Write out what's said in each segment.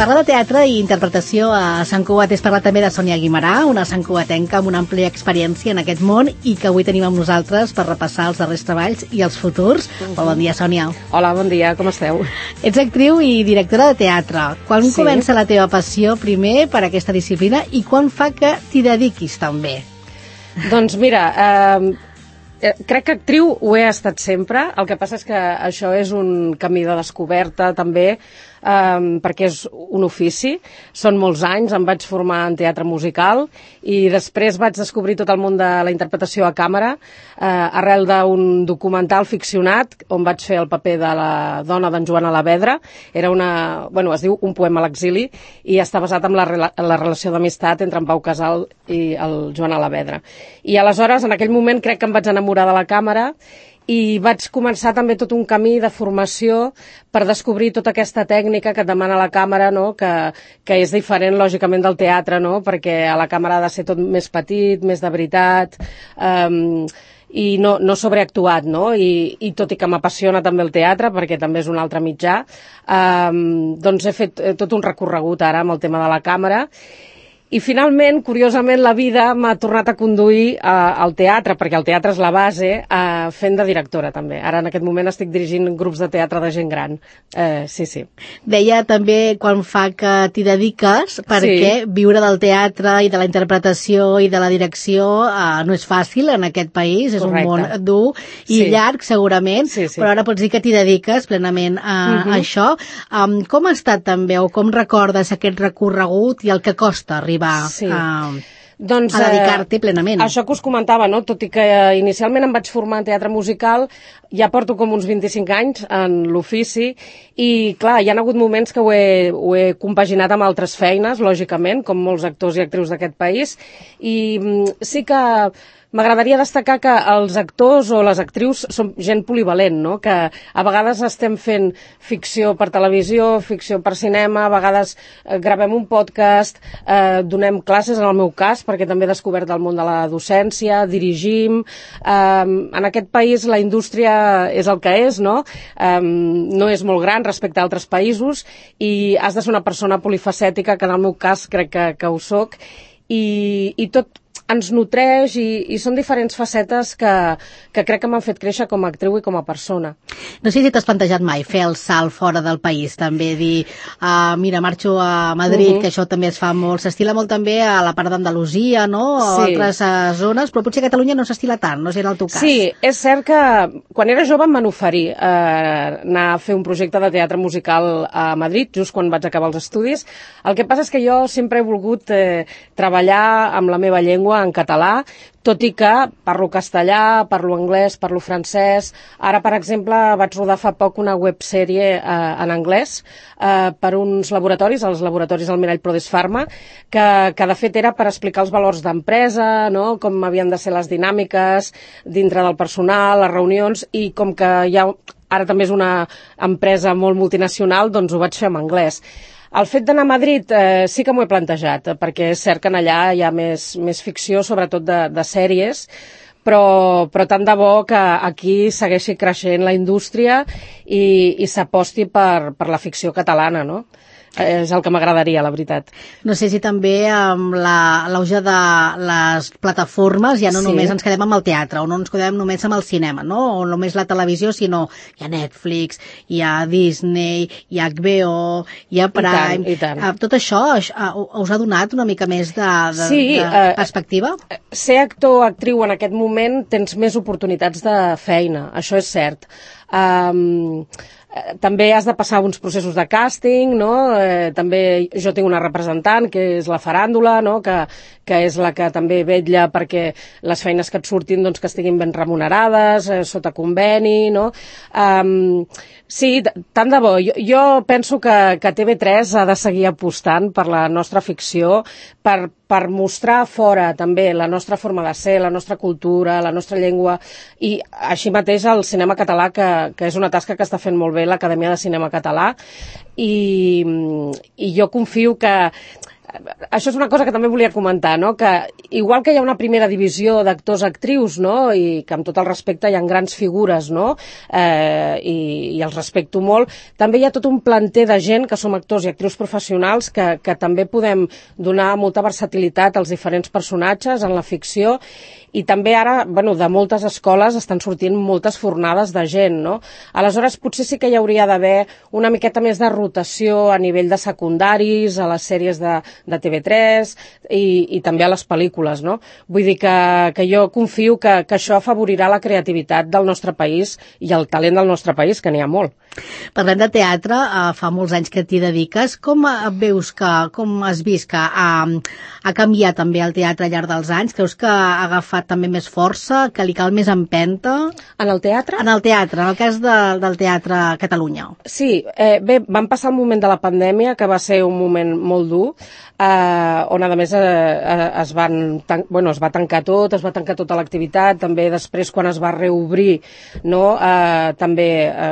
Parlar de teatre i interpretació a Sant Cugat és parlar també de Sònia Guimarà, una santcugatenca amb una àmplia experiència en aquest món i que avui tenim amb nosaltres per repassar els darrers treballs i els futurs. Bon dia, Sònia. Hola, bon dia, com esteu? Ets actriu i directora de teatre. Quan comença la teva passió, primer, per aquesta disciplina i quan fa que t'hi dediquis també? Doncs mira, crec que actriu ho he estat sempre, el que passa és que això és un camí de descoberta també, perquè és un ofici, són molts anys, em vaig formar en teatre musical i després vaig descobrir tot el món de la interpretació a càmera arrel d'un documental ficcionat on vaig fer el paper de la dona d'en Joan Alavedra. Era es diu Un poema a l'exili i està basat en la relació d'amistat entre en Pau Casal i el Joan Alavedra. I aleshores, en aquell moment, crec que em vaig enamorar de la càmera i vaig començar també tot un camí de formació per descobrir tota aquesta tècnica que et demana la càmera, no? que és diferent, lògicament, del teatre, no? Perquè a la càmera ha de ser tot més petit, més de veritat, i no sobreactuat, no? I tot i que m'apassiona també el teatre, perquè també és un altre mitjà, doncs he fet tot un recorregut ara amb el tema de la càmera. I finalment, curiosament, la vida m'ha tornat a conduir al teatre, perquè el teatre és la base, fent de directora també. Ara en aquest moment estic dirigint grups de teatre de gent gran. Sí. Deia també quan fa que t'hi dediques, perquè viure del teatre i de la interpretació i de la direcció no és fàcil en aquest país, és un món dur i llarg segurament, però ara pots dir que t'hi dediques plenament a això. Com ha estat també, o com recordes aquest recorregut i el que costa arribar a dedicar-t'hi plenament? Això que us comentava, no? Tot i que inicialment em vaig formar en teatre musical, ja porto com uns 25 anys en l'ofici i, clar, hi ha hagut moments que ho he compaginat amb altres feines, lògicament, com molts actors i actrius d'aquest país, i sí que m'agradaria destacar que els actors o les actrius són gent polivalent, no? Que a vegades estem fent ficció per televisió, ficció per cinema, a vegades gravem un podcast, donem classes, en el meu cas, perquè també he descobert el món de la docència, dirigim. En aquest país la indústria és el que és, no? No és molt gran respecte a altres països i has de ser una persona polifacètica, que en el meu cas crec que ho soc, i tot ens nutreix i són diferents facetes que crec que m'han fet créixer com a actriu i com a persona. No sé si t'has plantejat mai fer el salt fora del país, també dir, mira, marxo a Madrid, que això també es fa molt, s'estila molt també a la part d'Andalusia, no? O altres zones, però potser a Catalunya no s'estila tant, no sé en el teu cas. Sí, és cert que quan era jove em van oferir anar a fer un projecte de teatre musical a Madrid, just quan vaig acabar els estudis. El que passa és que jo sempre he volgut treballar amb la meva llengua en català, tot i que parlo castellà, parlo anglès, parlo francès. Ara, per exemple, vaig rodar fa poc una websèrie en anglès per uns laboratoris, els laboratoris del Mirall Prodesfarma, que de fet era per explicar els valors d'empresa, no? Com havien de ser les dinàmiques dintre del personal, les reunions, i com que ara també és una empresa molt multinacional, doncs ho vaig fer en anglès. El fet d'anar a Madrid sí que m'ho he plantejat, perquè és cert que allà hi ha més ficció, sobretot de sèries, però tant de bo que aquí segueixi creixent la indústria i s'aposti per la ficció catalana, no? És el que m'agradaria, la veritat. No sé si també amb l'auge de les plataformes ja no només ens quedem amb el teatre, o no ens quedem només amb el cinema, no? O només la televisió, sinó hi ha Netflix, hi ha Disney, hi ha HBO, hi ha Prime. I tant. Tot això us ha donat una mica més de perspectiva? Ser actor o actriu en aquest moment tens més oportunitats de feina, això és cert. També has de passar uns processos de càsting, no? També jo tinc una representant, que és la faràndula, no? Que és la que també vetlla perquè les feines que et surtin doncs, que estiguin ben remunerades, sota conveni, no? Sí, tant de bo. Jo penso que TV3 ha de seguir apostant per la nostra ficció, per mostrar fora també la nostra forma de ser, la nostra cultura, la nostra llengua, i així mateix el cinema català, que és una tasca que està fent molt bé l'Acadèmia de Cinema Català, i jo confio que això és una cosa que també volia comentar, no? Que igual que hi ha una primera divisió d'actors-actrius, no? I que amb tot el respecte hi ha grans figures, no? I els respecto molt, també hi ha tot un planter de gent que som actors i actrius professionals que també podem donar molta versatilitat als diferents personatges en la ficció, i també ara, de moltes escoles estan sortint moltes fornades de gent, no? Aleshores, potser sí que hi hauria d'haver una miqueta més de rotació a nivell de secundaris, a les sèries de TV3 i també a les pel·lícules, no? Vull dir que jo confio que això afavorirà la creativitat del nostre país i el talent del nostre país, que n'hi ha molt. Parlem de teatre, fa molts anys que t'hi dediques. Com has vist que ha canviat també el teatre al llarg dels anys? Creus que ha agafat també més força, que li cal més empenta? En el teatre? En el teatre, en el cas del Teatre a Catalunya. Sí, bé, vam passar el moment de la pandèmia, que va ser un moment molt dur, on a més es va tancar tot, es va tancar tota l'activitat, també després quan es va reobrir, no, també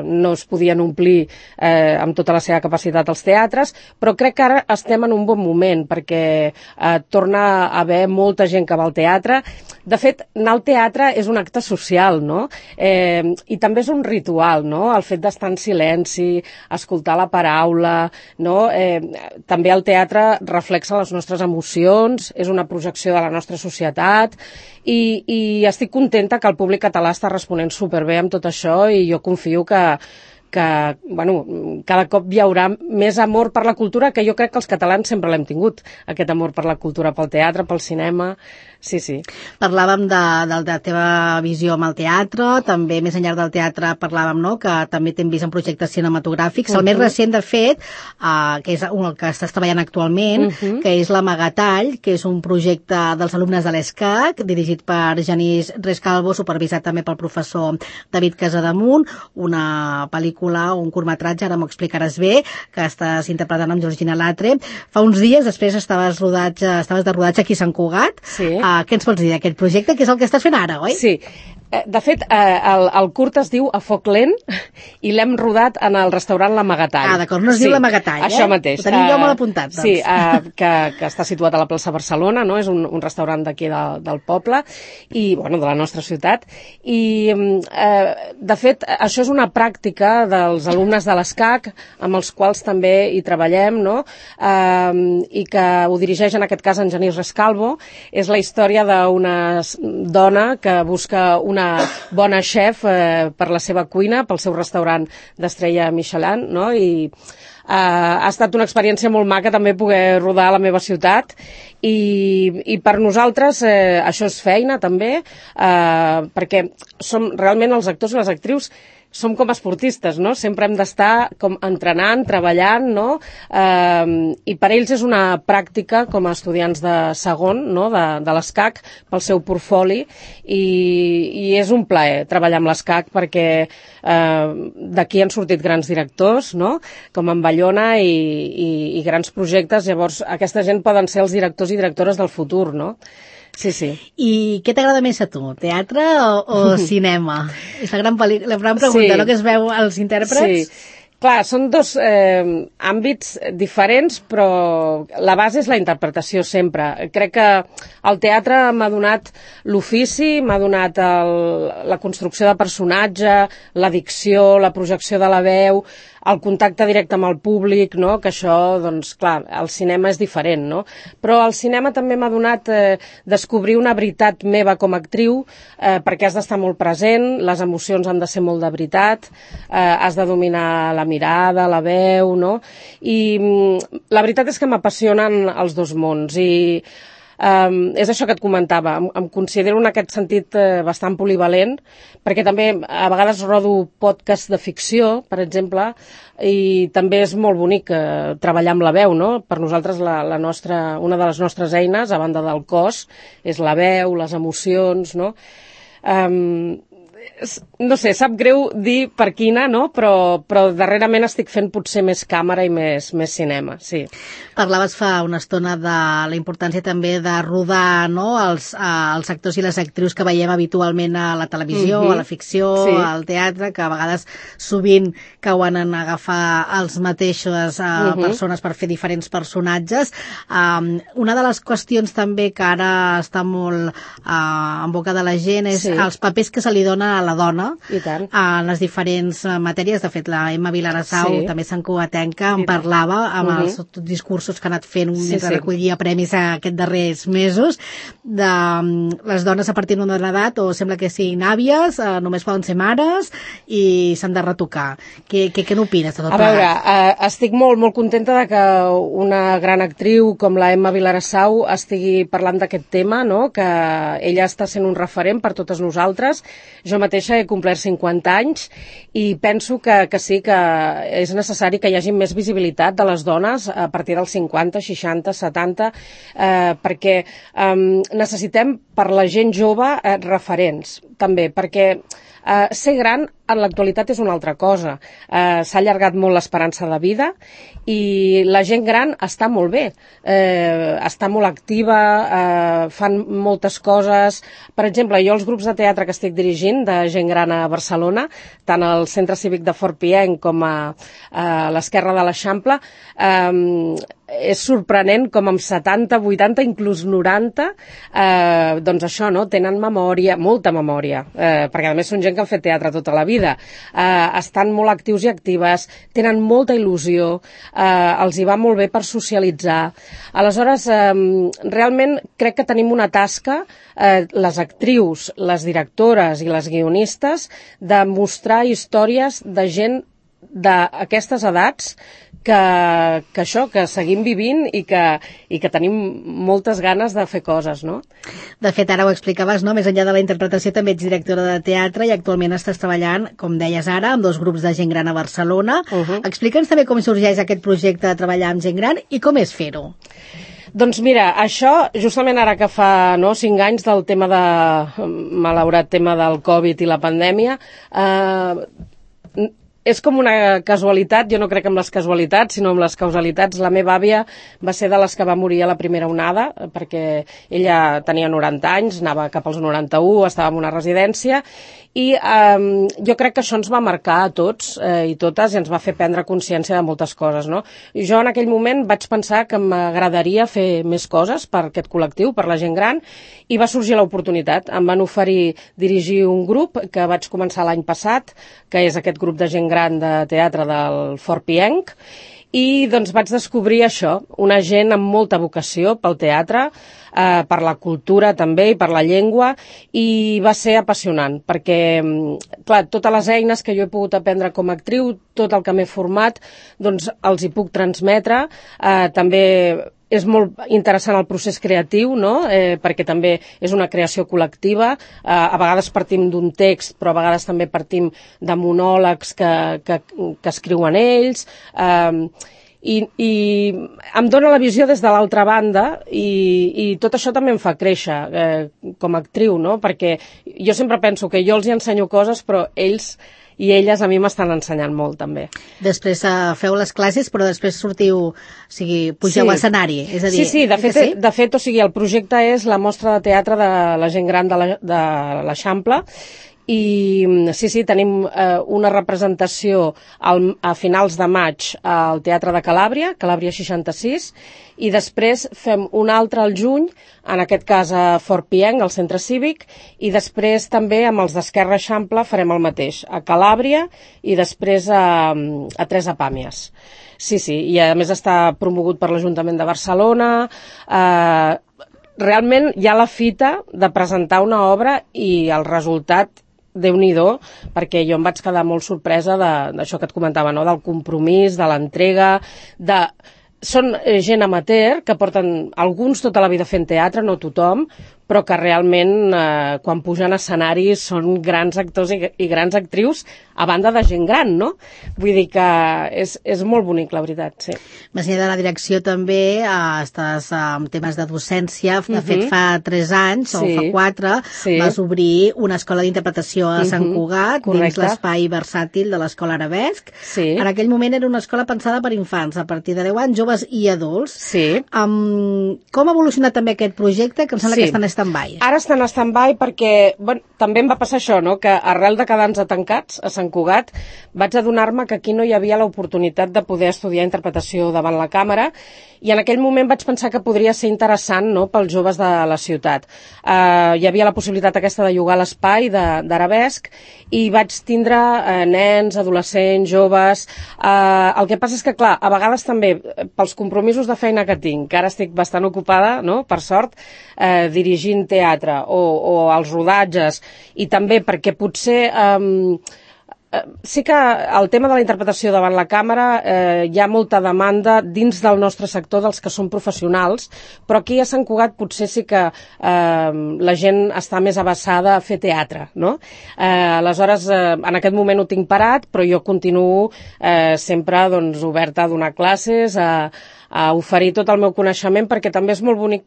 no es podien omplir amb tota la seva capacitat els teatres, però crec que ara estem en un bon moment, perquè torna a haver molta gent que va al teatre. De fet, anar al teatre és un acte social, no? I també és un ritual, no? El fet d'estar en silenci, escoltar la paraula, no? També el teatre reflexa les nostres emocions, és una projecció de la nostra societat, i estic contenta que el públic català està responent superbé amb tot això, i jo confio que cada cop hi haurà més amor per la cultura, que jo crec que els catalans sempre l'hem tingut, aquest amor per la cultura, pel teatre, pel cinema. Sí, sí. Parlàvem de la teva visió amb el teatre, també més enllà del teatre parlàvem, no?, que també t'hem vist en projectes cinematogràfics. El més recent, de fet, que és el que estàs treballant actualment, que és l'Amagatall, que és un projecte dels alumnes de l'ESCAC, dirigit per Genís Rescalvo, supervisat també pel professor David Casademunt, una pel·lícula, un curtmetratge, ara m'ho explicaràs bé, que estàs interpretant amb Georgina Latre. Fa uns dies, després estaves de rodatge aquí a Sant Cugat. Sí. Què ens pots dir d'aquest projecte, que és el que estàs fent ara, oi? Sí. De fet, el curt es diu A foc lent i l'hem rodat en el restaurant L'Amagatall. D'acord, no es diu L'Amagatall, Això mateix. Ho tenim jo molt apuntat, doncs. Sí, que està situat a la plaça Barcelona, no? És un restaurant d'aquí del poble, i, de la nostra ciutat. I, de fet, això és una pràctica dels alumnes de l'ESCAC, amb els quals també hi treballem, no? I que ho dirigeix, en aquest cas, en Genís Rescalvo. És la història d'una dona que busca una bona xef per la seva cuina, pel seu restaurant d'estrella Michelin, no? I ha estat una experiència molt maca també poder rodar a la meva ciutat, i per nosaltres això és feina també, perquè som realment els actors i les actrius, som com esportistes, no? Sempre hem d'estar com entrenant, treballant, no? I per ells és una pràctica com a estudiants de segon, no? De l'ESCAC, pel seu portfoli, i és un plaer treballar amb l'ESCAC, perquè d'aquí han sortit grans directors, no? Com en Bayona, i grans projectes. Llavors, aquesta gent poden ser els directors i directores del futur, no? Sí, sí. I què t'agrada més a tu, teatre o cinema? És la gran pregunta, sí, no?, que es veu als intèrprets. Sí. Clar, són dos àmbits diferents, però la base és la interpretació sempre. Crec que el teatre m'ha donat l'ofici, m'ha donat la construcció de personatge, la dicció, la projecció de la veu, el contacte directe amb el públic, no? Que això, doncs, clar, el cinema és diferent, no? Però el cinema també m'ha donat descobrir una veritat meva com a actriu, perquè has d'estar molt present, les emocions han de ser molt de veritat, has de dominar la mirada, la veu, no? I la veritat és que m'apassionen els dos mons, i és això que et comentava, em considero en aquest sentit bastant polivalent, perquè també a vegades rodo podcast de ficció, per exemple, i també és molt bonic treballar amb la veu, no? Per nosaltres una de les nostres eines, a banda del cos, és la veu, les emocions, no? no sé, sap greu dir per quina, no? Però darrerament estic fent potser més càmera i més cinema, sí. Parlaves fa una estona de la importància també de rodar, no?, els actors i les actrius que veiem habitualment a la televisió, a la ficció, al teatre, que a vegades sovint cauen en agafar els mateixos persones per fer diferents personatges. Una de les qüestions també que ara està molt en boca de la gent és els papers que se li dona a la dona en les diferents matèries. De fet, la Emma Vilarasau, també santcugatenca, en parlava amb els discursos que ha anat fent mentre recollia premis aquests darrers mesos, de les dones a partir d'una edat o sembla que siguin àvies, només poden ser mares i s'han de retocar. Què n'opines de tot plegat? A veure, estic molt contenta de que una gran actriu com la Emma Vilarasau estigui parlant d'aquest tema, no?, que ella està sent un referent per totes nosaltres. Jo mateixa he complert 50 anys i penso que sí, que és necessari que hi hagi més visibilitat de les dones a partir dels 50, 60, 70, perquè necessitem per la gent jove referents, també, perquè ser gran en l'actualitat és una altra cosa. S'ha allargat molt l'esperança de vida i la gent gran està molt bé, està molt activa, fan moltes coses. Per exemple, jo els grups de teatre que estic dirigint de gent gran a Barcelona, tant al Centre Cívic de Fort Pienc com a l'Esquerra de l'Eixample, és sorprenent com amb 70, 80, inclús 90, doncs això, no?, tenen memòria, molta memòria, perquè a més són gent que han fet teatre tota la vida, estan molt actius i actives, tenen molta il·lusió, els hi va molt bé per socialitzar. Aleshores, realment crec que tenim una tasca, les actrius, les directores i les guionistes, de mostrar històries de gent d'aquestes edats que seguim vivint i que tenim moltes ganes de fer coses, no? De fet, ara ho explicaves, no?, més enllà de la interpretació també ets directora de teatre i actualment estàs treballant, com deies ara, amb 2 grups de gent gran a Barcelona. Explica'ns també com sorgeix aquest projecte de treballar amb gent gran i com és fer-ho. Doncs mira, això, justament ara que fa 5 anys del malaurat tema del Covid i la pandèmia, és com una casualitat. Jo no crec en les casualitats, sinó en les causalitats. La meva àvia va ser de les que va morir a la primera onada, perquè ella tenia 90 anys, anava cap als 91, estava en una residència, i jo crec que això ens va marcar a tots i totes i ens va fer prendre consciència de moltes coses, no? I jo en aquell moment vaig pensar que m'agradaria fer més coses per aquest col·lectiu, per la gent gran, i va sorgir l'oportunitat. Em van oferir dirigir un grup que vaig començar l'any passat, que és aquest grup de gent gran de teatre del Fort Pienc, i doncs vaig descobrir això, una gent amb molta vocació pel teatre, per la cultura també i per la llengua, i va ser apassionant, perquè, clar, totes les eines que jo he pogut aprendre com a actriu, tot el que m'he format, doncs els hi puc transmetre. També és molt interessant el procés creatiu, no?, perquè també és una creació col·lectiva. A vegades partim d'un text, però a vegades també partim de monòlegs que escriuen ells, i em dóna la visió des de l'altra banda i tot això també em fa créixer com a actriu, no?, perquè jo sempre penso que jo els hi ensenyo coses, però ells i elles a mi m'estan ensenyant molt, també. Després feu les classes, però després sortiu, o sigui, pugeu a l'escenari, és a dir... Sí, de fet, o sigui, el projecte és la mostra de teatre de la gent gran de l'Eixample, i sí, tenim una representació a finals de maig al Teatre de Calàbria 66, i després fem una altra al juny, en aquest cas a Fort Pienc, al Centre Cívic, i després també amb els d'Esquerra Eixample farem el mateix, a Calàbria i després a Teresa Pàmies. Sí, i a més està promogut per l'Ajuntament de Barcelona. Realment hi ha la fita de presentar una obra i el resultat, Déu-n'hi-do, perquè jo em vaig quedar molt sorpresa d'això que et comentava, no?, del compromís, de l'entrega, són gent amateur que porten alguns tota la vida fent teatre, no tothom, però que realment quan pugen a escenaris són grans actors i grans actrius, a banda de gent gran, no? Vull dir que és molt bonic, la veritat, sí. Més enllà de la direcció també estàs en temes de docència. De fet, fa 3 anys, o fa 4, vas obrir una escola d'interpretació a Sant Cugat, dins l'espai versàtil de l'Escola Arabesc. En aquell moment era una escola pensada per infants, a partir de 10 anys, joves i adults. Com ha evolucionat també aquest projecte, que em sembla que està en stand-by? Ara està en stand-by perquè també em va passar això, no? Que arrel de quedar-nos tancats a Sant Cugat, vaig adonar-me que aquí no hi havia l'oportunitat de poder estudiar interpretació davant la càmera, i en aquell moment vaig pensar que podria ser interessant, no?, pels joves de la ciutat. Hi havia la possibilitat aquesta de llogar l'espai d'Arabesc, i vaig tindre nens, adolescents, joves. El que passa és que, clar, a vegades també, pels compromisos de feina que tinc, que ara estic bastant ocupada, no?, per sort, dirigint teatre o els rodatges, i també perquè potser sí que el tema de la interpretació davant la càmera hi ha molta demanda dins del nostre sector dels que són professionals, però aquí a Sant Cugat potser sí que la gent està més avessada a fer teatre, no? Aleshores, en aquest moment ho tinc parat, però jo continuo sempre oberta a donar classes, a oferir tot el meu coneixement, perquè també és molt bonic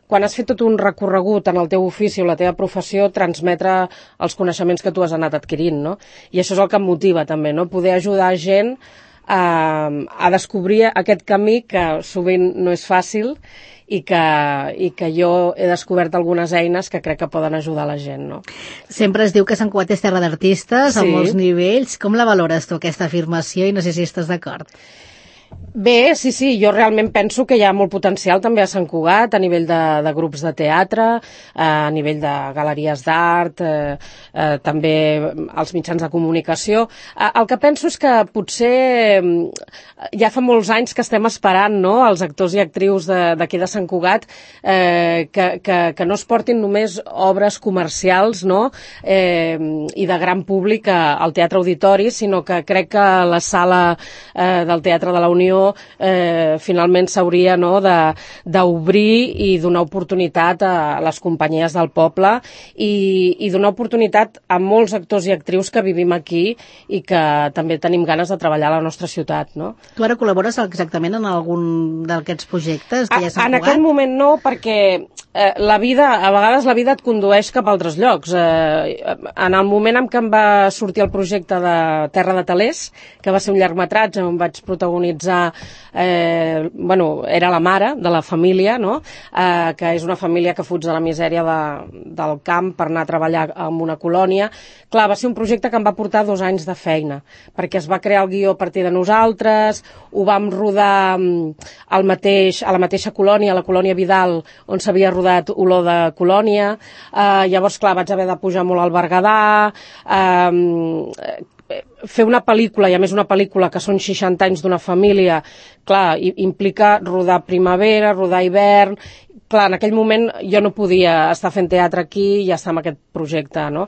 quan has fet tot un recorregut en el teu ofici o la teva professió, transmetre els coneixements que tu has anat adquirint, no? I això és el que em motiva també, no? Poder ajudar gent a descobrir aquest camí que sovint no és fàcil i que jo he descobert algunes eines que crec que poden ajudar la gent, no? Sempre es diu que Sant Cugat és terra d'artistes a molts nivells. Com la valores tu, aquesta afirmació, i no sé si estàs d'acord? Bé, sí, jo realment penso que hi ha molt potencial també a Sant Cugat, a nivell de grups de teatre, a nivell de galeries d'art, també als mitjans de comunicació. El que penso és que potser ja fa molts anys que estem esperant, no?, els actors i actrius d'aquí de Sant Cugat, que no es portin només obres comercials, no?, i de gran públic al Teatre Auditori, sinó que crec que la sala del Teatre de la Unió finalment s'hauria, no?, d'obrir i donar oportunitat a les companyies del poble i donar oportunitat a molts actors i actrius que vivim aquí i que també tenim ganes de treballar a la nostra ciutat, no? Tu ara col·labores exactament en algun d'aquests projectes que ja s'han En aquest moment no, perquè a vegades la vida et condueix cap a altres llocs. En el moment en què em va sortir el projecte de Terra de Talers, que va ser un llargmetratge on vaig protagonitzar era la mare de la família, no?, que és una família que fuig de la misèria del camp per anar a treballar en una colònia. Clar, va ser un projecte que em va portar 2 anys de feina, perquè es va crear el guió a partir de nosaltres, ho vam rodar a la mateixa colònia, a la colònia Vidal, on s'havia rodat Olor de Colònia. Llavors, clar, vaig haver de pujar molt al Berguedà, fer una pel·lícula, i a més una pel·lícula que són 60 anys d'una família, clar, implica rodar primavera, rodar hivern. Clar, en aquell moment jo no podia estar fent teatre aquí i estar en aquest projecte, no?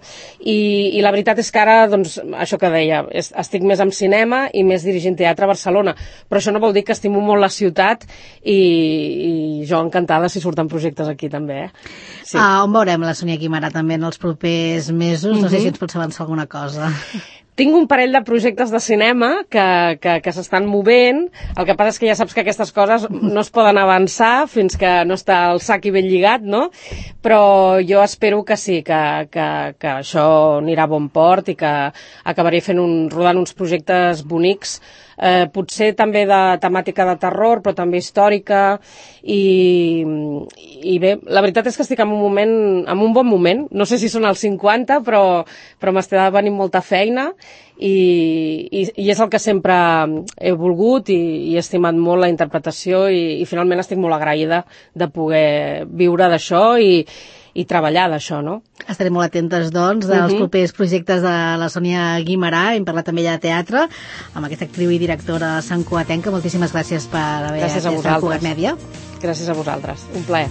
I la veritat és que ara, doncs, això que deia, estic més en cinema i més dirigint teatre a Barcelona, però això no vol dir que estimo molt la ciutat i jo encantada si surten projectes aquí també, Sí. On veurem la Sònia Guimerà també en els propers mesos? No sé si ens pots avançar alguna cosa. Tinc un parell de projectes de cinema que s'estan movent. El que passa és que ja saps que aquestes coses no es poden avançar fins que no està el sac i ben lligat, no? Però jo espero que sí, que això anirà a bon port i que acabaré rodant uns projectes bonics, potser també de temàtica de terror, però també històrica, i bé, la veritat és que estic en un bon moment. No sé si són els 50, però m'està venint molta feina i és el que sempre he volgut i he estimat molt la interpretació i finalment estic molt agraïda de poder viure d'això i treballar d'això, no? Estarem molt atentes, doncs, dels propers projectes de la Sònia Guimerà. Hem parlat també de teatre amb aquesta actriu i directora santcugatenca. Moltíssimes gràcies per haver estat a Cugat Mèdia. Gràcies a vosaltres. Un plaer.